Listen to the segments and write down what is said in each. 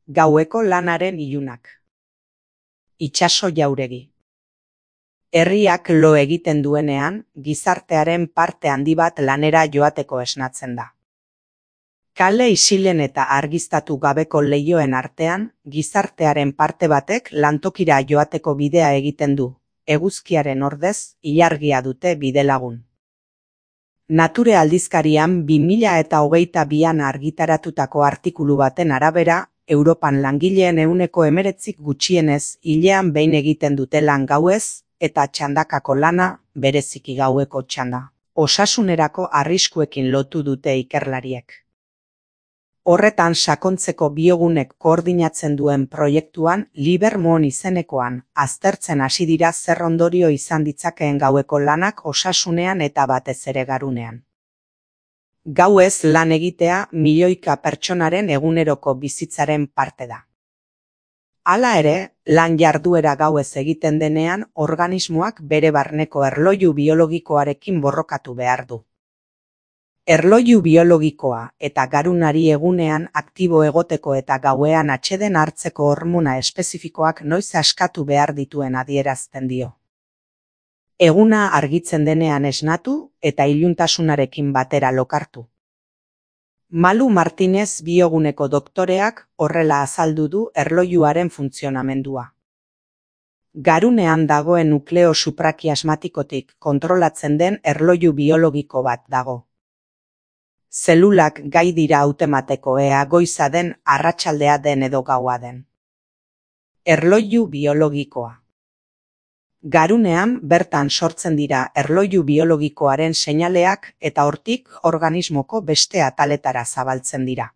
Gaueko lanaren ilunak. Itsaso jauregi. Herriak lo egiten duenean, gizartearen parte handi bat lanera joateko esnatzen da. Kale isilen eta argiztatu gabeko leihoen artean, gizartearen parte batek lantokira joateko bidea egiten du. Eguzkiaren ordez, ilargia dute bidelagun. Nature aldizkarian 2022an argitaratutako artikulu baten arabera, Europan langileen 19% gutxienez hilean behin egiten dute lan gauez, eta txandakako lana, bereziki gaueko txanda, osasunerako arriskuekin lotu dute ikerlariek. Horretan sakontzeko Biogunek koordinatzen duen proiektuan Libermon izenekoan aztertzen hasi dira zer ondorio izan ditzakeen gaueko lanak osasunean eta batez ere garunean. Gauez lan egitea milioika pertsonaren eguneroko bizitzaren parte da. Hala ere, lan jarduera gauez egiten denean organismoak bere barneko erloju biologikoarekin borrokatu behar du. Erloju biologikoa eta garunari egunean aktibo egoteko eta gauean atseden hartzeko hormona espezifikoak noiz askatu behar dituen adierazten dio. Eguna argitzen denean esnatu eta iluntasunarekin batera lokartu. Malu Martinez Bioguneko doktoreak horrela azaldu du erlojuaren funtzionamendua. Garunean dagoen nukleo suprakiasmatikotik kontrolatzen den erloju biologiko bat dago. Zelulak gai dira hautemateko ea goiza den, arratsaldea den edo gaua den. Erloju biologikoa. Garunean bertan sortzen dira erloju biologikoaren seinaleak eta hortik organismoko beste ataletara zabaltzen dira.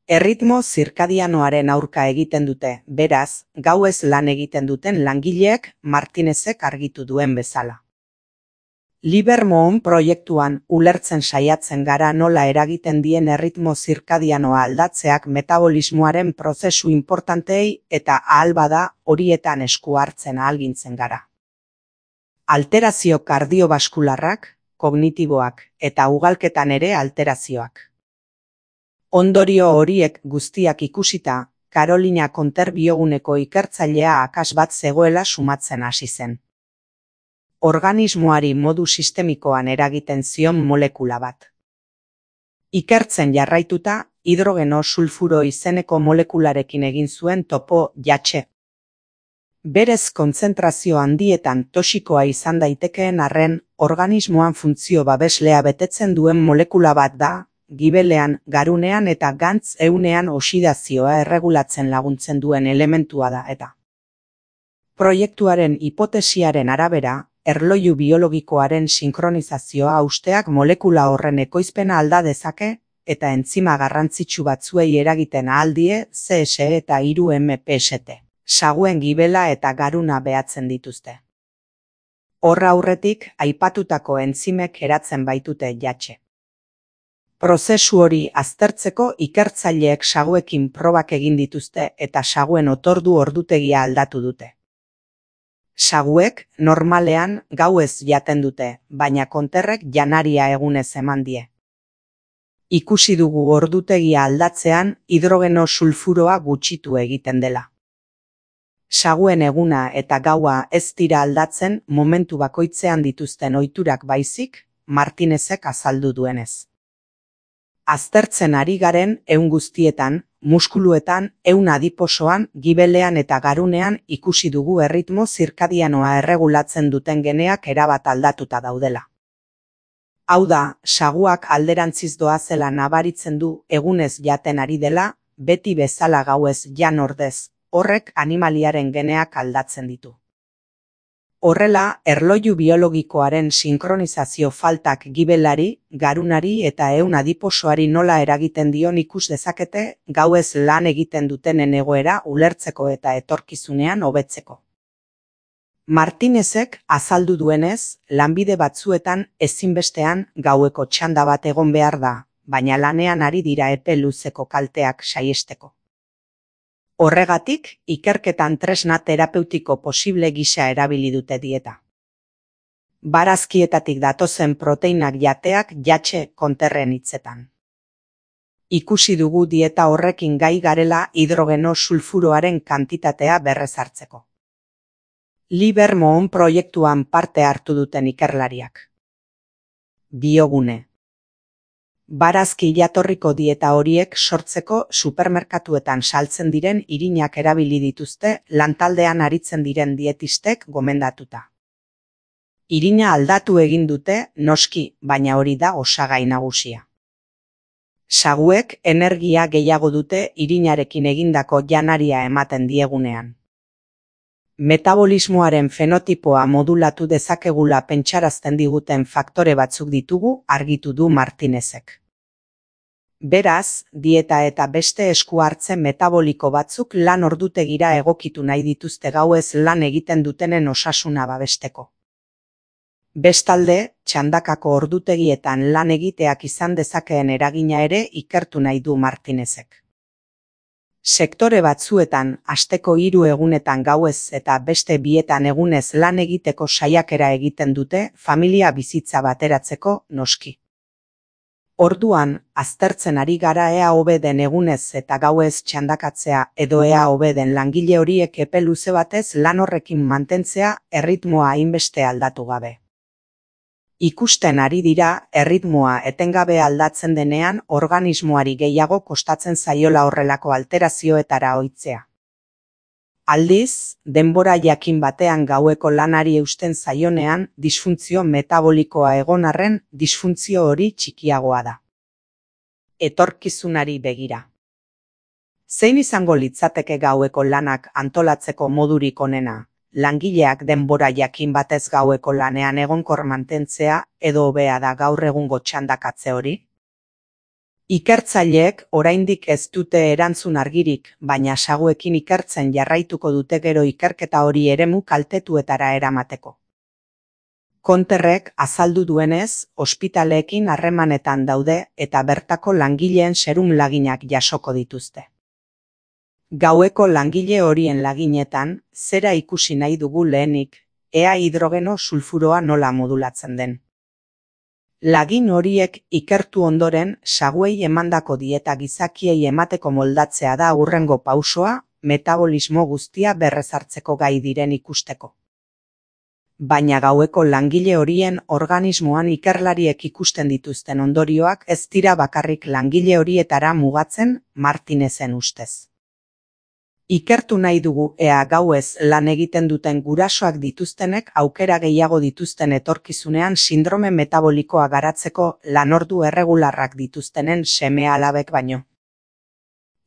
Erritmo zirkadianoaren aurka egiten dute, beraz, gauez lan egiten duten langileek Martinezek argitu duen bezala. Libermon proiektuan ulertzen saiatzen gara nola eragiten dien erritmo zirkadianoa aldatzeak metabolismoaren prozesu inportantei eta ahal bada horietan esku hartzen ahalgintzen gara. Alterazio kardiobaskularrak, kognitiboak eta ugalketan ere alterazioak. Ondorio horiek guztiak ikusita, Carolina Conter Bioguneko ikertzailea akas bat zegoela sumatzen hasi zen. Organismoari modu sistemikoan eragiten zion molekula bat. Ikertzen jarraituta, hidrogeno sulfuro izeneko molekularekin egin zuen topo jatxe. Berez kontzentrazio handietan toxikoa izan daitekeen arren, organismoan funtzio babeslea betetzen duen molekula bat da, gibelean, garunean eta gantz ehunean oxidazioa erregulatzen laguntzen duen elementua da eta. Proiektuaren hipotesiaren arabera, erloju biologikoaren sinkronizazioa hausteak molekula horren ekoizpena alda dezake eta entzima garrantzitsu batzuei eragiten ahal die CSE eta 3-MPST. Saguen gibela eta garuna behatzen dituzte. Horra aurretik aipatutako entzimek eratzen baitute jatxe. Prozesu hori aztertzeko ikertzaileek saguekin probak egin dituzte eta saguen otordu ordutegia aldatu dute. Saguek normalean gauez jaten dute, baina Conterrek janaria egunez eman die. Ikusi dugu ordutegia aldatzean hidrogeno sulfuroa gutxitu egiten dela. Saguen eguna eta gaua ez dira aldatzen momentu bakoitzean dituzten ohiturak baizik, Martinezek azaldu duenez. Aztertzen ari garen ehun guztietan, muskuluetan, ehun adiposoan, gibelean eta garunean ikusi dugu erritmo zirkadianoa erregulatzen duten geneak erabat aldatuta daudela. Hau da, saguak alderantziz doazela nabaritzen du egunez jaten ari dela, beti bezala gauez jan ordez, horrek animaliaren geneak aldatzen ditu. Horrela, erloju biologikoaren sinkronizazio faltak gibelari, garunari eta ehun adiposoari nola eragiten dion ikus dezakete gauez lan egiten dutenen egoera ulertzeko eta etorkizunean hobetzeko. Martinezek azaldu duenez, lanbide batzuetan ezinbestean gaueko txanda bat egon behar da, baina lanean ari dira epe luzeko kalteak saihesteko. Horregatik, ikerketan tresna terapeutiko posible gisa erabili dute dieta. Barazkietatik datozen proteinak jateak jatxe Conterren hitzetan. Ikusi dugu dieta horrekin gai garela hidrogeno sulfuroaren kantitatea berrezartzeko. Livermore proiektuan parte hartu duten ikerlariak. Biogune. Barazki jatorriko dieta horiek sortzeko supermerkatuetan saltzen diren irinak erabili dituzte lantaldean aritzen diren dietistek gomendatuta. Irina aldatu egin dute, noski, baina hori da osagai nagusia. Saguek energia gehiago dute irinarekin egindako janaria ematen diegunean. Metabolismoaren fenotipoa modulatu dezakegula pentsarazten diguten faktore batzuk ditugu, argitu du Martinezek. Beraz, dieta eta beste esku hartze metaboliko batzuk lan ordutegira egokitu nahi dituzte gauez lan egiten dutenen osasuna babesteko. Bestalde, txandakako ordutegietan lan egiteak izan dezakeen eragina ere ikertu nahi du Martinezek. Sektore batzuetan, asteko 3 egunetan gauez eta beste 2 egunez lan egiteko saiakera egiten dute familia bizitza bateratzeko, noski. Orduan, aztertzen ari gara ea hobe den egunez eta gauez txandakatzea edo ea hobe den langile horiek epe luze batez lan horrekin mantentzea erritmoa hainbeste aldatu gabe. Ikusten ari dira, erritmoa etengabe aldatzen denean organismoari gehiago kostatzen zaiola horrelako alterazioetara ohitzea. Aldiz, denbora jakin batean gaueko lanari eusten zaionean disfuntzio metabolikoa egon arren disfuntzio hori txikiagoa da. Etorkizunari begira. Zein izango litzateke gaueko lanak antolatzeko modurik onena? Langileak denbora jakin batez gaueko lanean egonkor mantentzea edo hobea da gaur egungo txandakatze hori? Ikertzaileek oraindik ez dute erantzun argirik, baina saguekin ikertzen jarraituko dute gero ikerketa hori eremu kaltetuetara eramateko. Konterrek azaldu duenez, ospitaleekin harremanetan daude eta bertako langileen serum laginak jasoko dituzte. Gaueko langile horien laginetan, zera ikusi nahi dugu lehenik, ea hidrogeno sulfuroa nola modulatzen den. Lagin horiek ikertu ondoren, saguei emandako dieta gizakiei emateko moldatzea da hurrengo pausoa, metabolismo guztia berrezartzeko gai diren ikusteko. Baina gaueko langile horien organismoan ikerlariek ikusten dituzten ondorioak ez dira bakarrik langile horietara mugatzen, Martinezen ustez. Ikertu nahi dugu ea gauez lan egiten duten gurasoak dituztenek aukera gehiago dituzten etorkizunean sindrome metabolikoa garatzeko lanordu erregularrak dituztenen seme-alabek baino.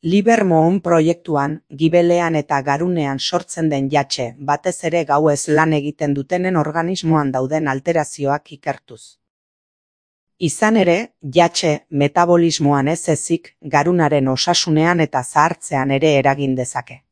Livermore proiektuan, gibelean eta garunean sortzen den jatxe, batez ere gauez lan egiten dutenen organismoan dauden alterazioak ikertuz. Izan ere, jatxe metabolismoan ez ezik, garunaren osasunean eta zahartzean ere eragin dezake.